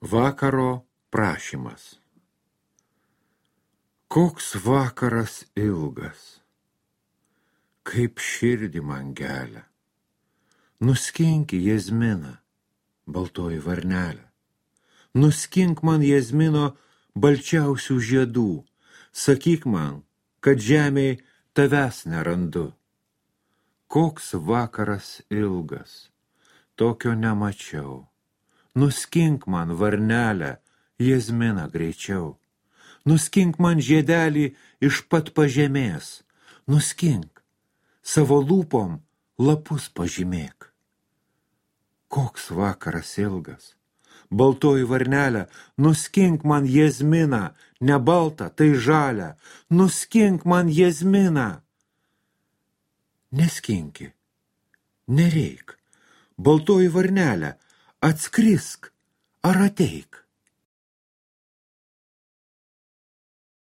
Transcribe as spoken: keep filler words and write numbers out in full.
Vakaro prašymas. Koks vakaras ilgas, kaip širdį man gelia. Nuskinki jazminą, baltoji varnelė. Nuskink man jazmino balčiausių žiedų. Sakyk man, kad žemėj tavęs nerandu. Koks vakaras ilgas, tokio nemačiau. Nuskink man varnelę, jazminą greičiau. Nuskink man žiedelį iš pat pažemės. Nuskink, savo lūpom lapus pažymėk. Koks vakaras ilgas, baltoji varnelė, nuskink man jazminą, ne baltą, tai žalią. Nuskink man jazminą. Neskinki, nereik, baltoji varnelė, atskrisk ar ateik.